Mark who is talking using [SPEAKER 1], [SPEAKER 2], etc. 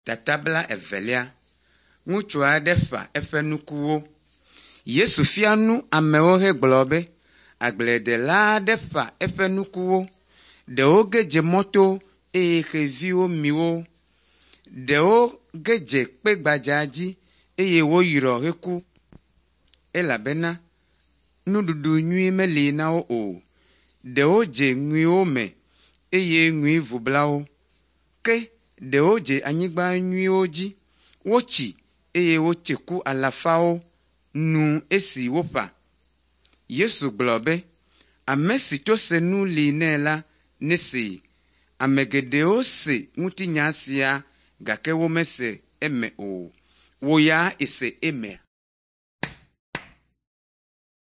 [SPEAKER 1] Tata 2. Ŋutsu aɖe ƒa eƒe nukuwo. Yesu fia nu amewo hegblɔ be, agbledela aɖe ƒa eƒe nukuwo. Ɖewo ge dze mɔto eye xeviwo mi wo. Ɖewo ge dze kpe gbadza dzi eye woyrɔ heku elabena nuɖuɖu nyui meli na wo o. Ɖewo dze ŋuiwo me eye ŋui vu bla wo. Ke ɖewo dze anyigba nyuiwo dzi. Wotsi eye wotse ku alafawo nu esi woƒa. Yesu gblɔ be, ame si to senu li nɛ la nesee. Ame geɖewo se ŋutinya sia gake womese eme o. Wò ya èse emea?